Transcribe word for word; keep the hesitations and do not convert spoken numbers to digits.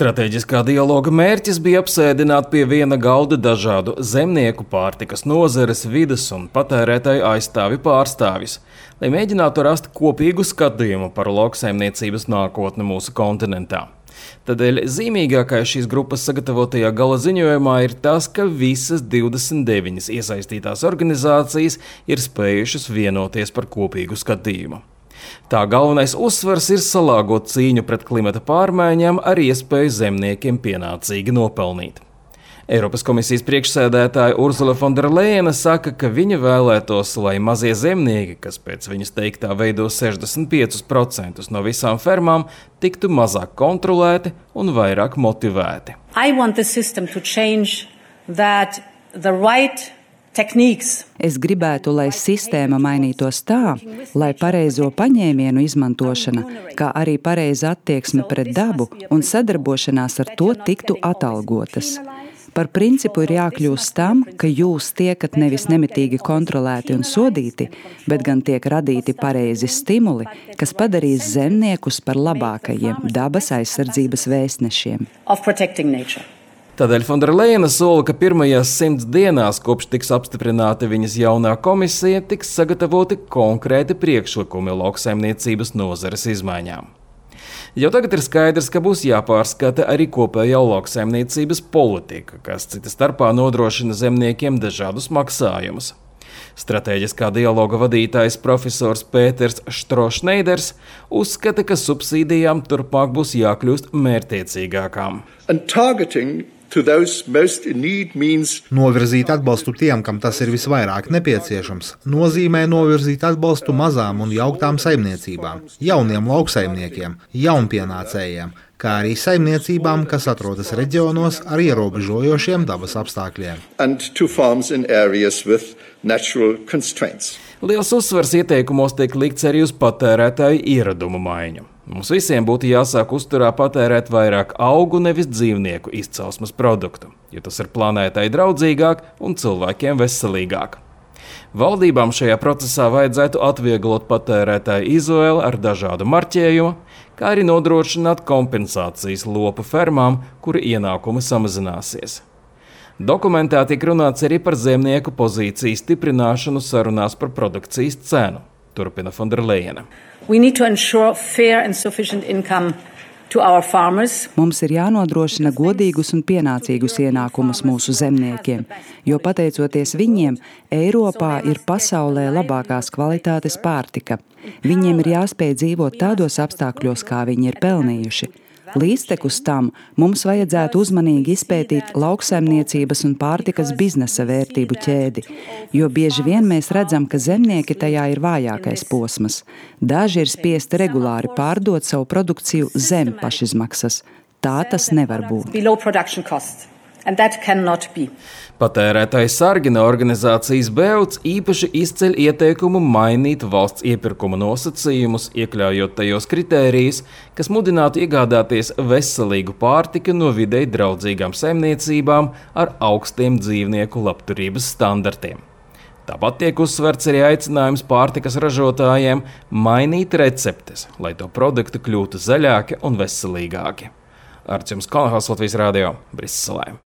Stratēģiskā dialoga mērķis bija apsēdināt pie viena galda dažādu zemnieku, pārtikas nozares, vides un patērētāju aizstāvju pārstāvjus, lai mēģinātu rast kopīgu skatījumu par lauksaimniecības nākotni mūsu kontinentā. Tādēļ zīmīgākais šīs grupas sagatavotajā gala ziņojumā ir tas, ka visas divdesmit deviņas iesaistītās organizācijas ir spējušas vienoties par kopīgu skatījumu. Tā galvenais uzsvars ir salāgot cīņu pret klimata pārmaiņām ar iespēju zemniekiem pienācīgi nopelnīt. Eiropas komisijas priekšsēdētāja Ursula von der Leyena saka, ka viņa vēlētos, lai mazie zemnieki, kas pēc viņas teiktā veido sešdesmit piecus procentus no visām fermām, tiktu mazāk kontrolēti un vairāk motivēti. I want the system to change that the right techniques. Es gribētu, lai sistēma mainītos tā, lai pareizo paņēmienu izmantošana, kā arī pareiza attieksme pret dabu un sadarbošanās ar to tiktu atalgotas. Par principu ir jākļūst tam, ka jūs tiekat nevis nemitīgi kontrolēti un sodīti, bet gan tiek radīti pareizi stimuli, kas padarīs zemniekus par labākajiem dabas aizsardzības vēstnešiem. Tādēļ von der Leyena sola, ka pirmajās simts dienās, kopš tiks apstiprināta viņas jaunā komisija, tiks sagatavoti konkrēti priekšlikumi lauksaimniecības nozares izmaiņām. Jau tagad ir skaidrs, ka būs jāpārskata arī kopējā lauksaimniecības politika, kas cita starpā nodrošina zemniekiem dažādus maksājumus. Stratēģiskā dialoga vadītājs profesors Pēters Štrošneiders uzskata, ka subsīdijām turpmāk būs jākļūst mērķtiecīgākām. Novirzīt atbalstu tiem, kam tas ir visvairāk nepieciešams, nozīmē novirzīt atbalstu mazām un jauktām saimniecībām, jauniem lauksaimniekiem, jaunpienācējiem, kā arī saimniecībām, kas atrodas reģionos ar ierobežojošiem dabas apstākļiem. Liels uzsvars ieteikumos tiek likts arī uz patērētāju ieradumu maiņu. Mums visiem būtu jāsāk uzturā patērēt vairāk augu, nevis dzīvnieku izcelsmes produktu, jo tas ir planētai draudzīgāk un cilvēkiem veselīgāk. Valdībām šajā procesā vajadzētu atvieglot patērētāju izvēli ar dažādu marķējumu, kā arī nodrošināt kompensācijas lopu fermām, kuru ienākumi samazināsies. Dokumentā tiek runāts arī par zemnieku pozīciju stiprināšanu sarunās par produkcijas cenu, turpina von der Leyena. Mums ir jānodrošina godīgus un pienācīgus ienākumus mūsu zemniekiem, jo pateicoties viņiem, Eiropā ir pasaulē labākās kvalitātes pārtika. Viņiem ir jāspēj dzīvot tādos apstākļos, kā viņi ir pelnījuši. Līdztekus tam mums vajadzētu uzmanīgi izpētīt lauksaimniecības un pārtikas biznesa vērtību ķēdi, jo bieži vien mēs redzam, ka zemnieki tajā ir vājākais posms. Daži ir spiesti regulāri pārdot savu produkciju zem pašizmaksas. Tā tas nevar būt. Patērētāju sargina organizācijas Beots īpaši izceļ ieteikumu mainīt valsts iepirkuma nosacījumus, iekļaujot tajos kritērijus, kas mudinātu iegādāties veselīgu pārtiku no videi draudzīgām saimniecībām ar augstiem dzīvnieku labturības standartiem. Tāpat tiek uzsverts arī aicinājums pārtikas ražotājiem mainīt receptes, lai to produkti kļūtu zaļāki un veselīgāki. Arčuns Kalnahals, Latvijas radio, Briselē.